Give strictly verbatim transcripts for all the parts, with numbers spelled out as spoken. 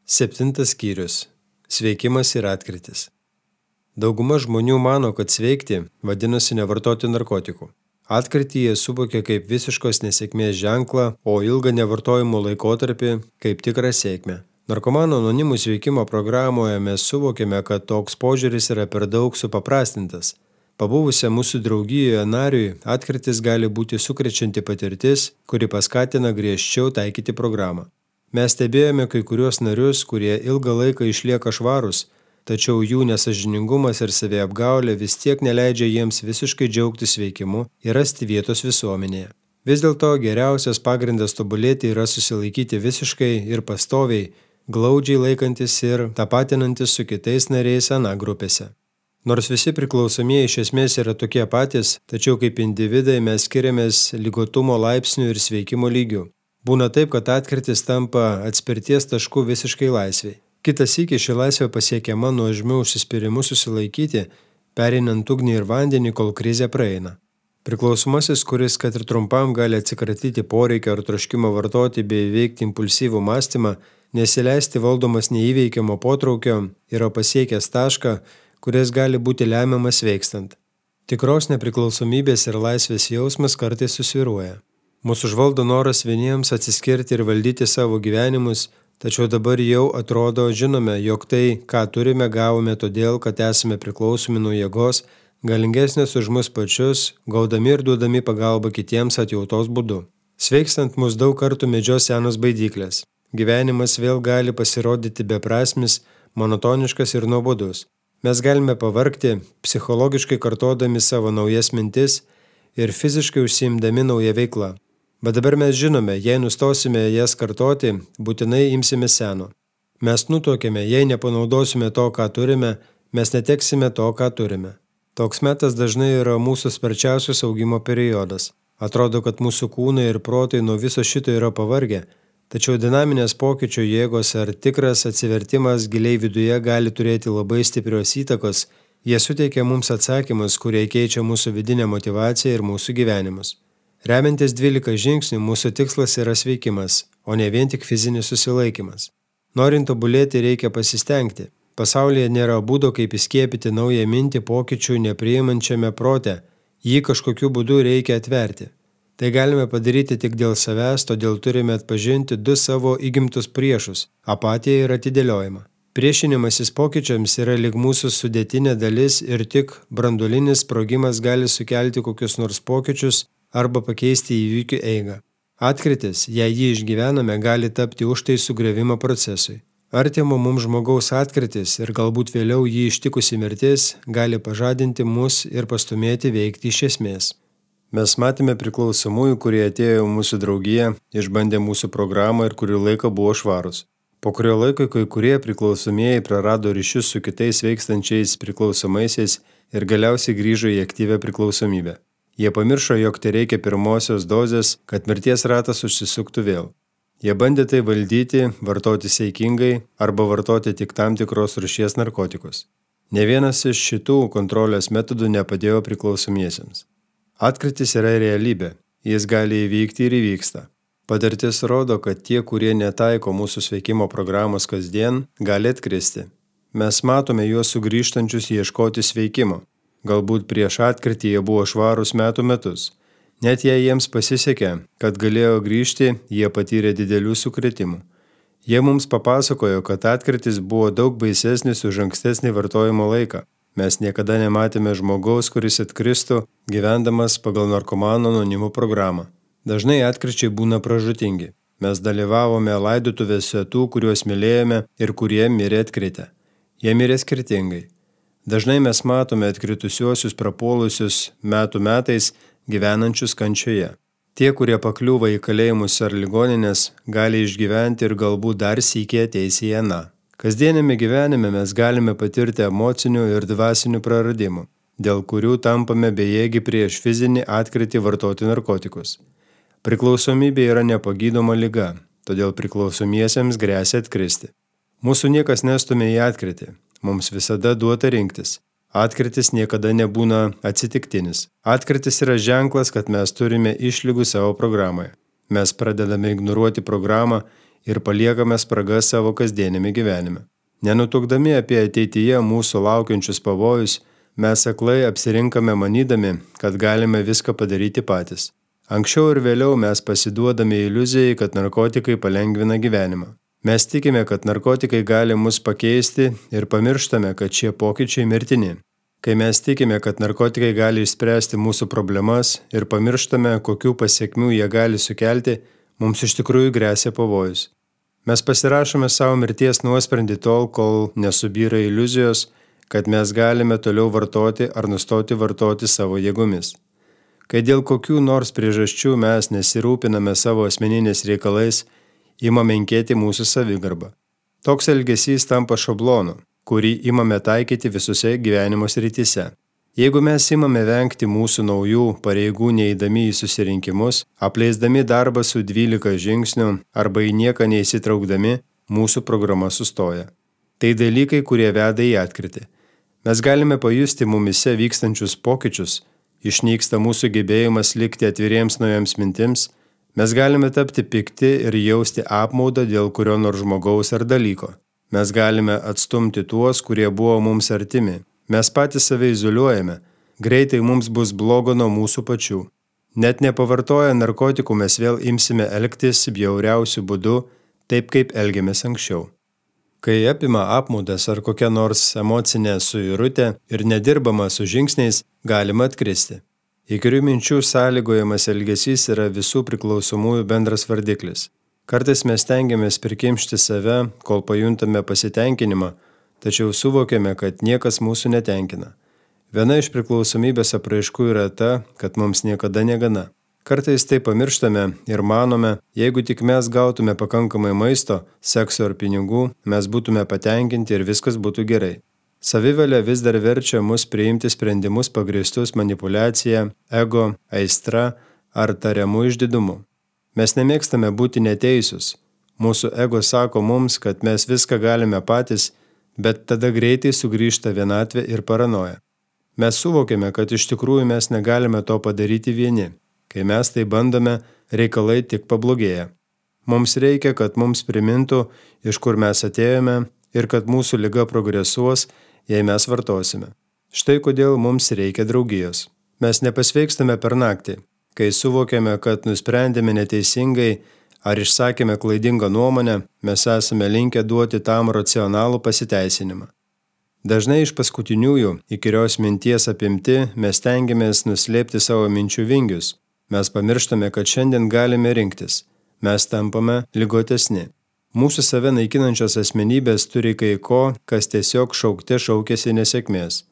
Septintas skyrius. Sveikimas ir atkrytis. Dauguma žmonių mano, kad sveikti vadinasi nevartoti narkotikų. Atkrytį jie suvokia kaip visiškos nesėkmės ženklą, o ilgą nevartojimo laikotarpį kaip tikrą sėkmę. Narkomanų anonimų sveikimo programoje mes suvokėme, kad toks požiūris yra per daug supaprastintas. Pabuvusiam mūsų draugijoje nariui atkrytis gali būti sukrečianti patirtis, kuri paskatina griežčiau taikyti programą. Mes stebėjome kai kuriuos narius, kurie ilgą laiką išlieka švarūs, tačiau jų nesąžiningumas ir saviapgaulė vis tiek neleidžia jiems visiškai džiaugtis sveikimu ir rasti vietos visuomenėje. Vis dėlto geriausias pagrindas tobulėti yra susilaikyti visiškai ir pastoviai, glaudžiai laikantis ir tapatinantis su kitais nariais ana grupėse. Nors visi priklausomieji iš esmės yra tokie patys, tačiau kaip individai mes skiriamės ligotumo laipsnių ir sveikimo lygių. Būna taip, kad atkrytis tampa atspirties tašku visiškai laisviai. Kitas sykį ši laisvė pasiekiama nuožmiu užsispyrimu susilaikyti, pereinant ugnį ir vandenį, kol krizė praeina. Priklausomasis, kuris kad ir trumpam gali atsikratyti poreikio ar troškimo vartoti bei įveikti impulsyvų mąstymą, nesileisti valdomas neįveikiamo potraukio, yra pasiekęs tašką, kuris gali būti lemiamas sveikstant. Tikros nepriklausomybės ir laisvės jausmas kartais susvyruoja. Mūsų užvaldo noras vieniems atsiskirti ir valdyti savo gyvenimus, tačiau dabar jau atrodo žinome, jog tai, ką turime, gavome todėl, kad esame priklausomi nuo jėgos, galingesnės už mus pačius, gaudami ir duodami pagalbą kitiems atjautos būdu. Sveikstant mus daug kartų medžios senos baidyklės. Gyvenimas vėl gali pasirodyti beprasmis, monotoniškas ir nuobodus. Mes galime pavargti, psichologiškai kartodami savo naujas mintis ir fiziškai užsiimdami naują veiklą. Bet dabar mes žinome, jei nustosime jas kartoti, būtinai imsime seno. Mes nutuokėme, jei nepanaudosime to, ką turime, mes neteksime to, ką turime. Toks metas dažnai yra mūsų sparčiausias augimo periodas. Atrodo, kad mūsų kūnai ir protai nuo viso šito yra pavargę, tačiau dinaminės pokyčio jėgos ar tikras atsivertimas giliai viduje gali turėti labai stiprios įtakos. Jie suteikia mums atsakymus, kurie keičia mūsų vidinę motyvaciją ir mūsų gyvenimus. Remiantis dvylika žingsnių, mūsų tikslas yra sveikimas, o ne vien tik fizinis susilaikimas. Norint tobulėti, reikia pasistengti. Pasaulyje nėra būdo, kaip įskiepyti naują mintį pokyčių nepriimančiame prote. Jį kažkokiu būdu reikia atverti. Tai galime padaryti tik dėl savęs, todėl turime atpažinti du savo įgimtus priešus – apatiją ir atidėliojimą. Priešinimasis pokyčiams yra lyg mūsų sudėtinė dalis ir tik branduolinis sprogimas gali sukelti kokius nors pokyčius arba pakeisti įvykių eigą. Atkrytis, jei jį išgyvename, gali tapti užtaisų griovimo procesui. Artimo mums žmogaus atkrytis ir galbūt vėliau jį ištikusi mirtis gali pažadinti mus ir pastumėti veikti iš esmės. Mes matėme priklausomųjų, kurie atėjo į mūsų draugiją, išbandė mūsų programą ir kurį laiką buvo švarūs. Po kurio laiko kai kurie priklausomieji prarado ryšius su kitais veikstančiais priklausomaisiais ir galiausiai grįžo į aktyvią priklausomybę. Jie pamiršo, jog tai reikia pirmosios dozės, kad mirties ratas užsisuktų vėl. Jie bandė tai valdyti, vartoti saikingai arba vartoti tik tam tikros rūšies narkotikus. Ne vienas iš šitų kontrolės metodų nepadėjo priklausomiesiems. Atkrytis yra realybė, jis gali įvykti ir įvyksta. Patirtis rodo, kad tie, kurie netaiko mūsų sveikimo programos kasdien, gali atkristi. Mes matome juos sugrįžtančius ieškoti sveikimo. Galbūt prieš atkrytį jie buvo švarūs metų metus. Net jei jiems pasisekė, kad galėjo grįžti, jie patyrė didelių sukrėtimų. Jie mums papasakojo, kad atkrytis buvo daug baisesnis už ankstesnį vartojimo laiką. Mes niekada nematėme žmogaus, kuris atkristų, gyvendamas pagal narkomano anonimų programą. Dažnai atkryčiai būna pražūtingi. Mes dalyvavome laidotuvėse tų, kuriuos mylėjome ir kurie mirė atkritę. Jie mirė skirtingai. Dažnai mes matome atkritusiuosius prapuolusius metų metais gyvenančius kančioje. Tie, kurie pakliūva į kalėjimus ar ligoninės, gali išgyventi ir galbūt dar sykį ateis į aną. Kasdienėme gyvenime mes galime patirti emocinių ir dvasinių praradimų, dėl kurių tampame bejėgi prieš fizinį atkrytį vartoti narkotikus. Priklausomybė yra nepagydoma liga, todėl priklausomiesiems gresia atkristi. Mūsų niekas nestumia į atkrytį. Mums visada duota rinktis. Atkrytis niekada nebūna atsitiktinis. Atkrytis yra ženklas, kad mes turime išlygų savo programoje. Mes pradedame ignoruoti programą ir paliekame spragas savo kasdienėme gyvenime. Nenutukdami apie ateityje mūsų laukiančius pavojus, mes aklai apsirinkame manydami, kad galime viską padaryti patys. Anksčiau ir vėliau mes pasiduodame iliuzijai, kad narkotikai palengvina gyvenimą. Mes tikime, kad narkotikai gali mus pakeisti ir pamirštame, kad šie pokyčiai mirtini. Kai mes tikime, kad narkotikai gali išspręsti mūsų problemas ir pamirštame, kokių pasiekmių jie gali sukelti, mums iš tikrųjų gresia pavojus. Mes pasirašome savo mirties nuosprendį tol, kol nesubyra iliuzijos, kad mes galime toliau vartoti ar nustoti vartoti savo jėgomis. Kai dėl kokių nors priežasčių mes nesirūpiname savo asmeniniais reikalais, ima menkėti mūsų savigarba. Toks elgesys tampa šablonu, kurį imame taikyti visose gyvenimo srityse. Jeigu mes imame vengti mūsų naujų pareigų neįdami į susirinkimus, apleisdami darbą su dvylika žingsnių arba į nieką neįsitraukdami, mūsų programa sustoja. Tai dalykai, kurie veda į atkritį. Mes galime pajusti mumise vykstančius pokyčius, išnyksta mūsų gebėjimas likti atviriems naujams mintims, mes galime tapti pikti ir jausti apmaudą dėl kurio nors žmogaus ar dalyko. Mes galime atstumti tuos, kurie buvo mums artimi. Mes patys save izoliuojame, greitai mums bus blogo nuo mūsų pačių. Net nepavartoję narkotikų mes vėl imsime elgtis bjauriausiu būdu, taip kaip elgėmės anksčiau. Kai apima apmaudas ar kokia nors emocinė suirutė ir nedirbama su žingsniais, galima atkristi. Įkyrių minčių sąlygojamas elgesys yra visų priklausomųjų bendras vardiklis. Kartais mes stengiamės prikimšti save, kol pajuntame pasitenkinimą, tačiau suvokiame, kad niekas mūsų netenkina. Viena iš priklausomybės apraiškų yra ta, kad mums niekada negana. Kartais tai pamirštame ir manome, jeigu tik mes gautume pakankamai maisto, sekso ar pinigų, mes būtume patenkinti ir viskas būtų gerai. Savivalė vis dar verčia mus priimti sprendimus pagrįstus manipuliacija, ego, aistra ar tariamų išdidumu. Mes nemėgstame būti neteisūs. Mūsų ego sako mums, kad mes viską galime patys, bet tada greitai sugrįžta vienatvė ir paranoja. Mes suvokiame, kad iš tikrųjų mes negalime to padaryti vieni. Kai mes tai bandome, reikalai tik pablogėja. Mums reikia, kad mums primintų, iš kur mes atėjome ir kad mūsų liga progresuos, jei mes vartosime. Štai kodėl mums reikia draugijos. Mes nepasveikstame per naktį. Kai suvokiame, kad nusprendėme neteisingai ar išsakėme klaidingą nuomonę, mes esame linkę duoti tam racionalų pasiteisinimą. Dažnai iš paskutiniųjų, įkyrios minties apimti, mes stengiamės nuslėpti savo minčių vingius. Mes pamirštame, kad šiandien galime rinktis. Mes tampame ligotesni. Mūsų save naikinančios asmenybės turi kai ko, kas tiesiog šaukte šaukėsi nesėkmės.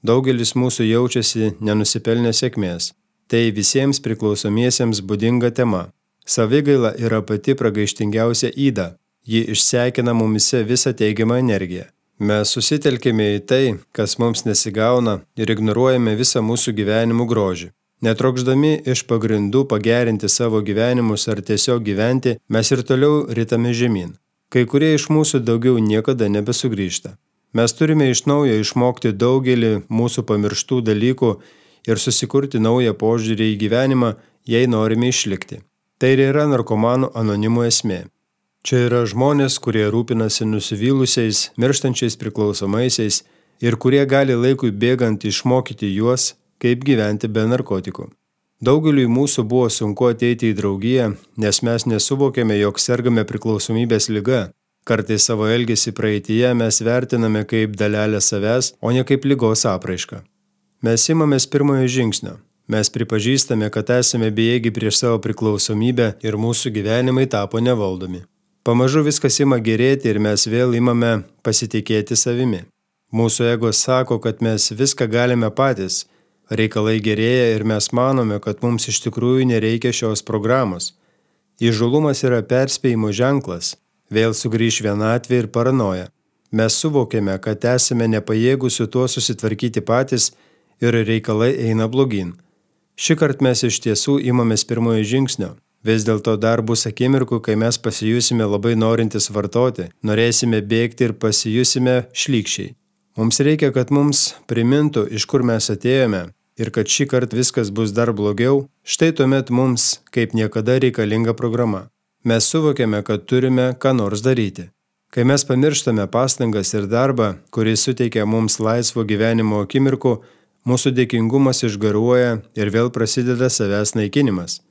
Daugelis mūsų jaučiasi nenusipelnę sėkmės. Tai visiems priklausomiesiems būdinga tema. Savigaila yra pati pragaištingiausia yda. Ji išsekina mumise visą teigiamą energiją. Mes susitelkime į tai, kas mums nesigauna ir ignoruojame visą mūsų gyvenimų grožį. Netrokšdami iš pagrindų pagerinti savo gyvenimus ar tiesiog gyventi, mes ir toliau ritame žemyn. Kai kurie iš mūsų daugiau niekada nebesugrįžta. Mes turime iš naujo išmokti daugelį mūsų pamirštų dalykų ir susikurti naują požiūrį į gyvenimą, jei norime išlikti. Tai ir yra narkomanų anonimų esmė. Čia yra žmonės, kurie rūpinasi nusivylusiais, mirštančiais priklausomaisiais ir kurie gali laikui bėgant išmokyti juos, kaip gyventi be narkotikų. Daugeliui mūsų buvo sunku ateiti į draugiją, nes mes nesuvokėme, jog sergame priklausomybės liga. Kartais savo elgesį praeityje mes vertiname kaip dalelę savęs, o ne kaip ligos apraišką. Mes imamės pirmojo žingsnio. Mes pripažįstame, kad esame bejėgi prieš savo priklausomybę ir mūsų gyvenimai tapo nevaldomi. Pamažu viskas ima gerėti ir mes vėl imame pasitikėti savimi. Mūsų ego sako, kad mes viską galime patys. Reikalai gerėja ir mes manome, kad mums iš tikrųjų nereikia šios programos. Įžūlumas yra perspėjimo ženklas, vėl sugrįš vienatvė ir paranoja. Mes suvokėme, kad esame nepajėgūs su tuo susitvarkyti patys ir reikalai eina blogyn. Šįkart mes iš tiesų imamės pirmojo žingsnio. Vis dėlto dar bus akimirkų, kai mes pasijusime labai norintis vartoti, norėsime bėgti ir pasijusime šlykščiai. Mums reikia, kad mums primintų, iš kur mes atėjome ir kad šį kartą viskas bus dar blogiau, štai tuomet mums kaip niekada reikalinga programa. Mes suvokiame, kad turime ką nors daryti. Kai mes pamirštame pastangas ir darbą, kuris suteikia mums laisvo gyvenimo akimirkų, mūsų dėkingumas išgaruoja ir vėl prasideda savęs naikinimas.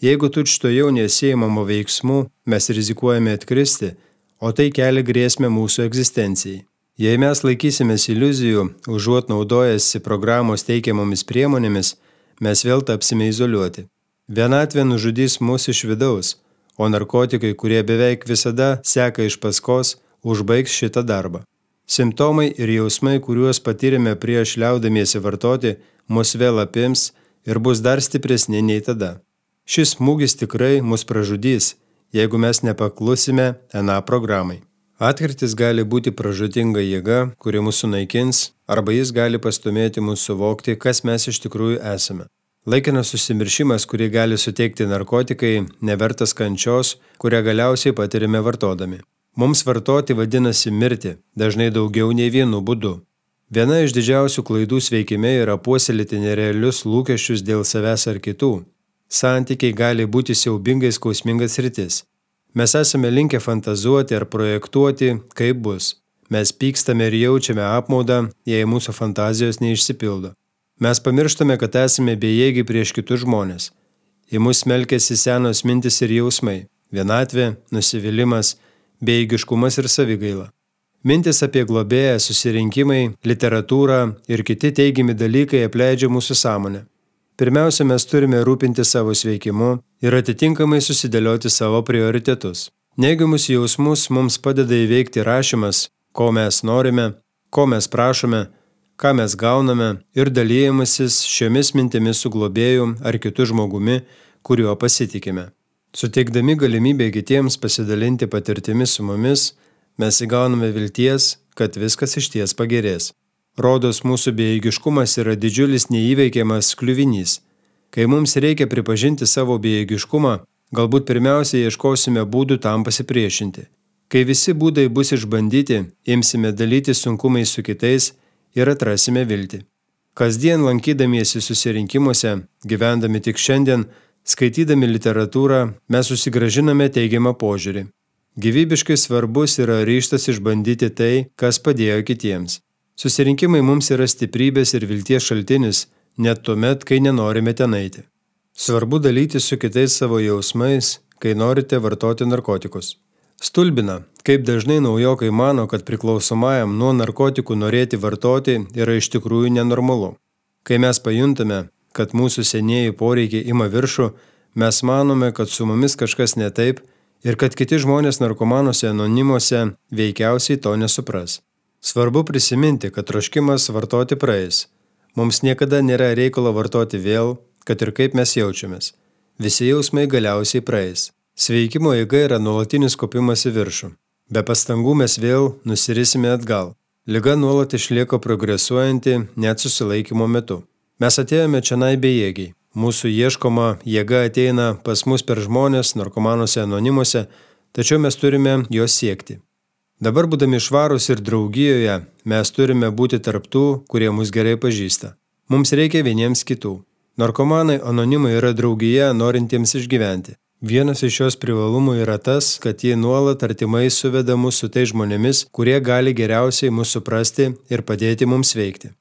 Jeigu tučtuojau nesiimamo veiksmų, mes rizikuojame atkristi, o tai kelia grėsmę mūsų egzistencijai. Jei mes laikysimės iliuzijų, užuot naudojęsi programos teikiamomis priemonėmis, mes vėl tapsime izoliuoti. Vienatvė nužudys mus iš vidaus, o narkotikai, kurie beveik visada seka iš paskos, užbaigs šitą darbą. Simptomai ir jausmai, kuriuos patyrėme prieš liaudamiesi vartoti, mus vėl apims ir bus dar stipresni nei tada. Šis smūgis tikrai mus pražudys, jeigu mes nepaklusime aną programai. Atkirtis gali būti pražūtinga jėga, kuri mus sunaikins, arba jis gali pastumėti mus suvokti, kas mes iš tikrųjų esame. Laikinas susimiršimas, kurį gali suteikti narkotikai, nevertas kančios, kurią galiausiai patirime vartodami. Mums vartoti vadinasi mirti, dažnai daugiau nei vienu būdu. Viena iš didžiausių klaidų sveikime yra puoselėti nerealius lūkesčius dėl savęs ar kitų. Santykiai gali būti siaubingai skausmingas sritis. Mes esame linkę fantazuoti ar projektuoti, kaip bus. Mes pykstame ir jaučiame apmaudą, jei mūsų fantazijos neišsipildo. Mes pamirštame, kad esame bejėgiai prieš kitus žmonės. Į mus smelkiasi senos mintis ir jausmai – vienatvė, nusivylimas, bejėgiškumas ir savigaila. Mintis apie globėją, susirinkimai, literatūrą ir kiti teigiami dalykai apleidžia mūsų sąmonę. Pirmiausia, mes turime rūpinti savo sveikimu ir atitinkamai susidėlioti savo prioritetus. Neigiamus jausmus mums padeda įveikti rašymas, ko mes norime, ko mes prašome, ką mes gauname ir dalyjimasis šiomis mintimis su globėju ar kitu žmogumi, kuriuo pasitikime. Suteikdami galimybę kitiems pasidalinti patirtimis su mumis, mes įgauname vilties, kad viskas išties pagerės. Rodos mūsų bejėgiškumas yra didžiulis neįveikiamas kliuvinys. Kai mums reikia pripažinti savo bejėgiškumą, galbūt pirmiausia ieškosime būdų tam pasipriešinti. Kai visi būdai bus išbandyti, imsime dalytis sunkumais su kitais ir atrasime viltį. Kasdien lankydamiesi susirinkimuose, gyvendami tik šiandien, skaitydami literatūrą, mes susigražiname teigiamą požiūrį. Gyvybiškai svarbus yra ryžtas išbandyti tai, kas padėjo kitiems. Susirinkimai mums yra stiprybės ir vilties šaltinis, net tuomet, kai nenorime ten eiti. Svarbu dalytis su kitais savo jausmais, kai norite vartoti narkotikus. Stulbina, kaip dažnai naujokai mano, kad priklausomajam nuo narkotikų norėti vartoti yra iš tikrųjų nenormalu. Kai mes pajuntame, kad mūsų senieji poreikiai ima viršų, mes manome, kad su mumis kažkas ne taip ir kad kiti žmonės narkomanuose anonimuose veikiausiai to nesupras. Svarbu prisiminti, kad troškimas vartoti praeis. Mums niekada nėra reikalo vartoti vėl, kad ir kaip mes jaučiamės. Visi jausmai galiausiai praeis. Sveikimo eiga yra nuolatinis kopimas į viršų. Be pastangų mes vėl nusirisime atgal. Liga nuolat išlieka progresuojanti net susilaikymo metu. Mes atėjome čionai bejėgiai. Mūsų ieškoma jėga ateina pas mus per žmonės, narkomanuose anonimuose, tačiau mes turime jos siekti. Dabar būdami švarūs ir draugijoje, mes turime būti tarp tų, kurie mus gerai pažįsta. Mums reikia vieniems kitų. Narkomanai anonimai yra draugija norintiems išgyventi. Vienas iš jos privalumų yra tas, kad jie nuolat artimai suveda mus su tai žmonėmis, kurie gali geriausiai mus suprasti ir padėti mums veikti.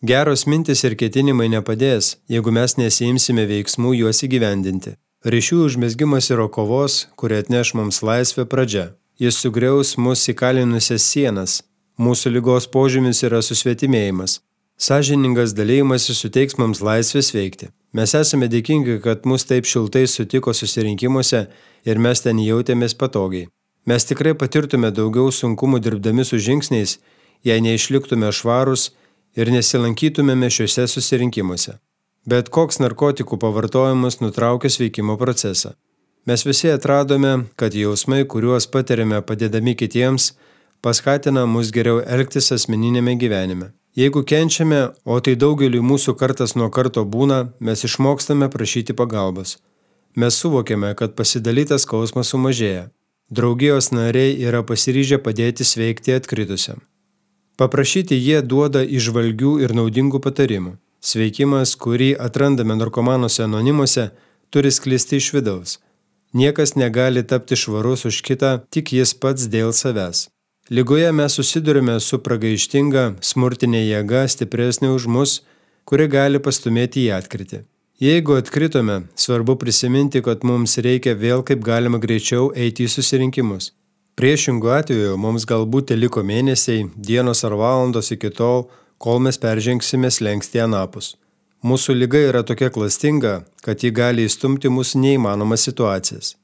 Geros mintis ir ketinimai nepadės, jeigu mes nesiimsime veiksmų juos įgyvendinti. Ryšių užmezgimas yra kovos, kuri atneš mums laisvę pradžia. Jis sugriaus mus įkalinusias sienas. Mūsų ligos požymis yra susvetimėjimas. Sąžiningas dalymasis suteiks mums laisvės veikti. Mes esame dėkingi, kad mus taip šiltai sutiko susirinkimuose ir mes ten jautėmės patogiai. Mes tikrai patirtume daugiau sunkumų dirbdami su žingsniais, jei neišliktume švarūs ir nesilankytumėme šiuose susirinkimuose. Bet koks narkotikų pavartojimas nutraukia sveikimo procesą. Mes visi atradome, kad jausmai, kuriuos patiriame padėdami kitiems, paskatina mus geriau elgtis asmeninėme gyvenime. Jeigu kenčiame, o tai daugeliui mūsų kartas nuo karto būna, mes išmokstame prašyti pagalbos. Mes suvokiame, kad pasidalytas skausmas sumažėja. Draugijos nariai yra pasiryžę padėti sveikti atkritusiam. Paprašyti jie duoda įžvalgių ir naudingų patarimų. Sveikimas, kurį atrandame narkomanuose anonimuose, turi sklisti iš vidaus. Niekas negali tapti švarus už kitą, tik jis pats dėl savęs. Ligoje mes susidurime su pragaištinga, smurtinė jėga stipresnė už mus, kuri gali pastumėti į atkritį. Jeigu atkritome, svarbu prisiminti, kad mums reikia vėl kaip galima greičiau eiti į susirinkimus. Priešingų atveju mums galbūt liko mėnesiai, dienos ar valandos iki tol, kol mes peržengsime slenkstį anapus. Mūsų liga yra tokia klastinga, kad ji gali įstumti mūsų neįmanomas situacijas.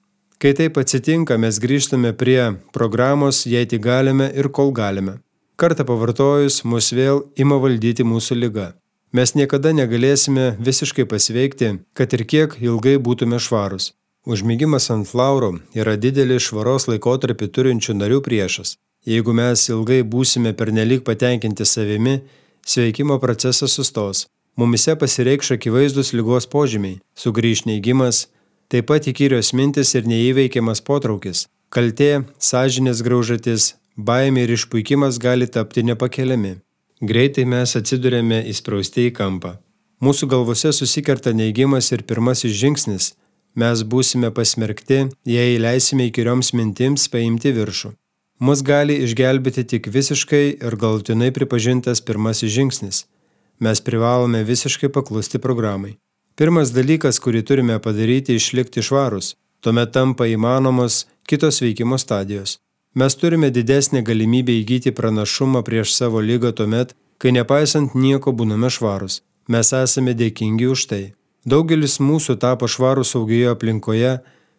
Kai taip atsitinka, mes grįžtame prie programos, jei tik galime ir kol galime. Kartą pavartojus, mus vėl ima valdyti mūsų liga. Mes niekada negalėsime visiškai pasveikti, kad ir kiek ilgai būtume švarus. Užmigimas ant laurų yra didelis švaros laikotarpį turinčių narių priešas. Jeigu mes ilgai būsime pernelyg patenkinti savimi, sveikimo procesas sustos. Mumise pasireikš akivaizdus ligos požymiai, sugrįš neigimas, taip pat įkyrios mintis ir neįveikiamas potraukis. Kaltė, sąžinės graužatis, baimė ir išpuikimas gali tapti nepakeliami. Greitai mes atsidurėme įsprausti į kampą. Mūsų galvose susikerta neigimas ir pirmasis žingsnis. Mes būsime pasmerkti, jei leisime įkyrioms mintims paimti viršų. Mus gali išgelbėti tik visiškai ir galutinai pripažintas pirmasis žingsnis. Mes privalome visiškai paklusti programai. Pirmas dalykas, kurį turime padaryti, išlikti švarus. Tuomet tampa įmanomos kitos veikimo stadijos. Mes turime didesnę galimybę įgyti pranašumą prieš savo ligą tuomet, kai nepaisant nieko būname švarus. Mes esame dėkingi už tai. Daugelis mūsų tapo švarus saugioje aplinkoje,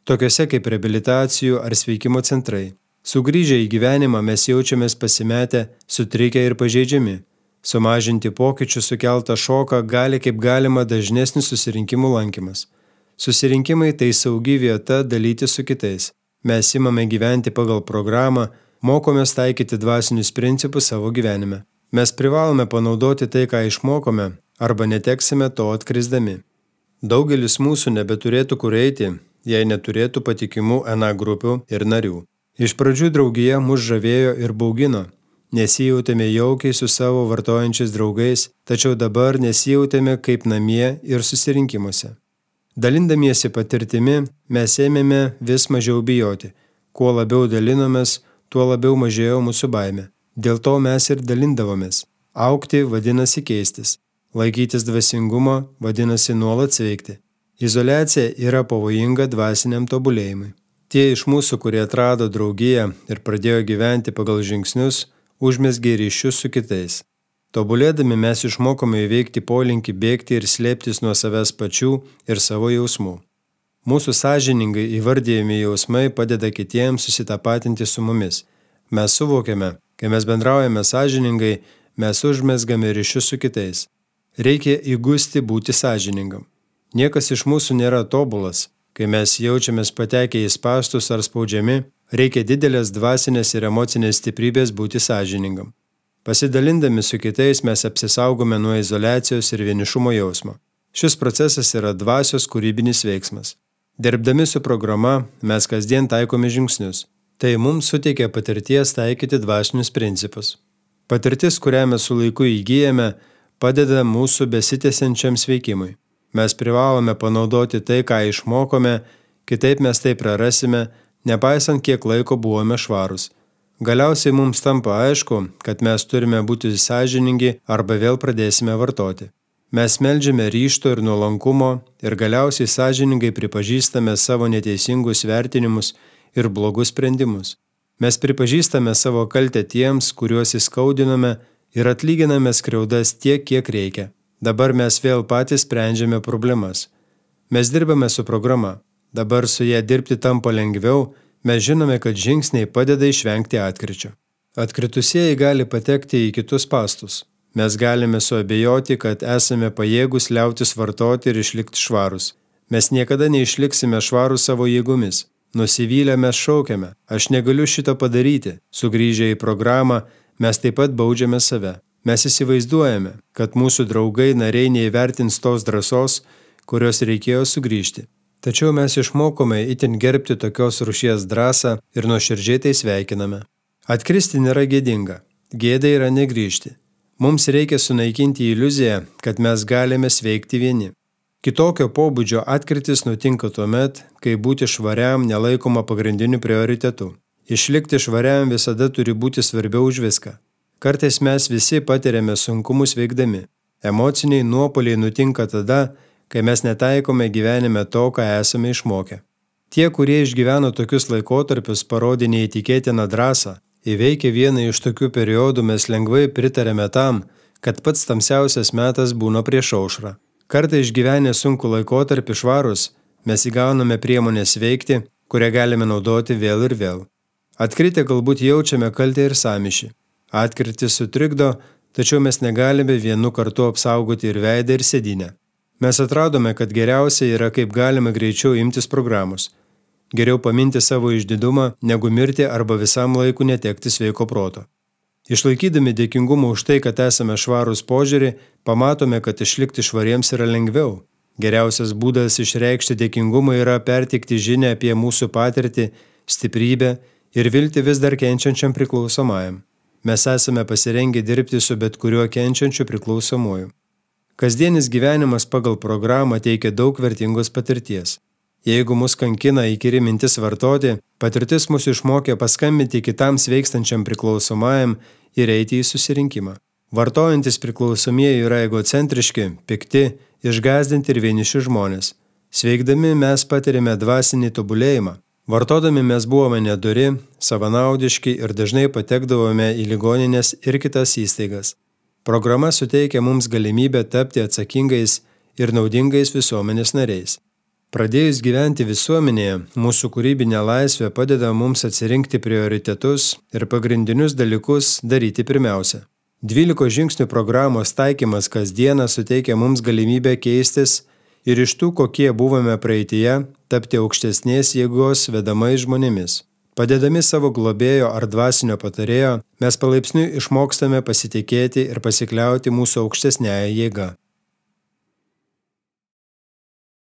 tokiuose kaip reabilitacijų ar sveikimo centrai. Sugrįžę į gyvenimą mes jaučiamės pasimetę, sutrikę ir pažeidžiami. Sumažinti pokyčių sukeltą šoką gali kaip galima dažnesnis susirinkimų lankymas. Susirinkimai tai saugi vieta dalyti su kitais. Mes imame gyventi pagal programą, mokomės taikyti dvasinius principus savo gyvenime. Mes privalome panaudoti tai, ką išmokome, arba neteksime to atkrisdami. Daugelis mūsų nebeturėtų kur eiti, jei neturėtų patikimų N A grupių ir narių. Iš pradžių draugija mus žavėjo ir baugino. Nesijautėme jaukiai su savo vartojančiais draugais, tačiau dabar nesijautėme kaip namie ir susirinkimuose. Dalindamiesi patirtimi, mes ėmėme vis mažiau bijoti. Kuo labiau dalinomės, tuo labiau mažėjo mūsų baimė. Dėl to mes ir dalindavomės. Augti vadinasi keistis. Laikytis dvasingumo vadinasi nuolat sveikti. Izoliacija yra pavojinga dvasiniam tobulėjimui. Tie iš mūsų, kurie atrado draugiją ir pradėjo gyventi pagal žingsnius, užmezgė ryšius su kitais. Tobulėdami mes išmokome įveikti polinkį bėgti ir slėptis nuo savęs pačių ir savo jausmų. Mūsų sąžiningai įvardijami jausmai padeda kitiems susitapatinti su mumis. Mes suvokiame, kai mes bendraujame sąžiningai, mes užmezgame ryšius su kitais. Reikia įgusti būti sąžiningam. Niekas iš mūsų nėra tobulas. Kai mes jaučiamės patekę į spąstus ar spaudžiami, reikia didelės dvasinės ir emocinės stiprybės būti sąžiningam. Pasidalindami su kitais mes apsisaugome nuo izoliacijos ir vienišumo jausmo. Šis procesas yra dvasios kūrybinis veiksmas. Dirbdami su programa mes kasdien taikome žingsnius. Tai mums suteikia patirties taikyti dvasinius principus. Patirtis, kurią mes su laiku įgyjame, padeda mūsų besitęsiančiam sveikimui. Mes privalome panaudoti tai, ką išmokome, kitaip mes tai prarasime, nepaisant kiek laiko buvome švarus. Galiausiai mums tampa aišku, kad mes turime būti sąžiningi arba vėl pradėsime vartoti. Mes meldžiame ryžto ir nuolankumo ir galiausiai sąžiningai pripažįstame savo neteisingus vertinimus ir blogus sprendimus. Mes pripažįstame savo kaltę tiems, kuriuos įskaudinome ir atlyginame skriaudas tiek, kiek reikia. Dabar mes vėl patys sprendžiame problemas. Mes dirbame su programa. Dabar su ją dirbti tampa lengviau, mes žinome, kad žingsniai padeda išvengti atkričio. Atkritusieji gali patekti į kitus spąstus. Mes galime suabejoti, kad esame pajėgus liautis vartoti ir išlikti švarus. Mes niekada neišliksime švarus savo jėgomis. Nusivylę mes šaukiame, aš negaliu šito padaryti. Sugrįžę į programą, mes taip pat baudžiame save. Mes įsivaizduojame, kad mūsų draugai nariai neįvertins tos drąsos, kurios reikėjo sugrįžti. Tačiau mes išmokome itin gerbti tokios rūšies drąsą ir nuoširdžiai tai sveikiname. Atkristi nėra gėdinga, gėda yra negrįžti. Mums reikia sunaikinti iliuziją, kad mes galime sveikti vieni. Kitokio pobūdžio atkrytis nutinka tuomet, kai būti švariam nelaikoma pagrindiniu prioritetu. Išlikti švariam visada turi būti svarbiau už viską. Kartais mes visi patiriame sunkumus veikdami. Emociniai nuopuoliai nutinka tada, kai mes netaikome gyvenime to, ką esame išmokę. Tie, kurie išgyveno tokius laikotarpius, parodė neįtikėtiną drąsą. Įveikę vieną iš tokių periodų mes lengvai pritarėme tam, kad pats tamsiausias metas būna prieš aušrą. Kartą išgyvenę sunku laikotarpį švarus, mes įgauname priemonės veikti, kurią galime naudoti vėl ir vėl. Atkritę galbūt jaučiame kaltę ir sąmyšį. Atkritis sutrikdo, tačiau mes negalime vienu kartu apsaugoti ir veidą, ir sėdynę. Mes atradome, kad geriausia yra kaip galima greičiau imtis programos. Geriau paminti savo išdidumą, negu mirti arba visam laiku netekti sveiko proto. Išlaikydami dėkingumą už tai, kad esame švarūs požiūrį, pamatome, kad išlikti švariems yra lengviau. Geriausias būdas išreikšti dėkingumą yra perteikti žinią apie mūsų patirtį, stiprybę ir viltį vis dar kenčiančiam priklausomajam. Mes esame pasirengę dirbti su bet kuriuo kenčiančiu priklausomuoju. Kasdienis gyvenimas pagal programą teikia daug vertingos patirties. Jeigu mus kankina įkyri mintis vartoti, patirtis mus išmokė paskambinti kitam sveikstančiam priklausomajam ir eiti į susirinkimą. Vartojantis priklausomieji yra egocentriški, pikti, išgąsdinti ir vieniši žmonės. Sveikdami mes patirime dvasinį tobulėjimą. Vartodami mes buvome nedori, savanaudiški ir dažnai patekdavome į ligonines ir kitas įstaigas. Programa suteikia mums galimybę tapti atsakingais ir naudingais visuomenės nariais. Pradėjus gyventi visuomenėje, mūsų kūrybinė laisvė padeda mums atsirinkti prioritetus ir pagrindinius dalykus daryti pirmiausia. dvylikos žingsnių programos taikymas kasdieną suteikia mums galimybę keistis ir iš tų, kokie buvome praeityje, tapti aukštesnės jėgos vedamais žmonėmis. Padedami savo globėjo ar dvasinio patarėjo, mes palaipsniui išmokstame pasitikėti ir pasikliauti mūsų aukštesniąją jėgą.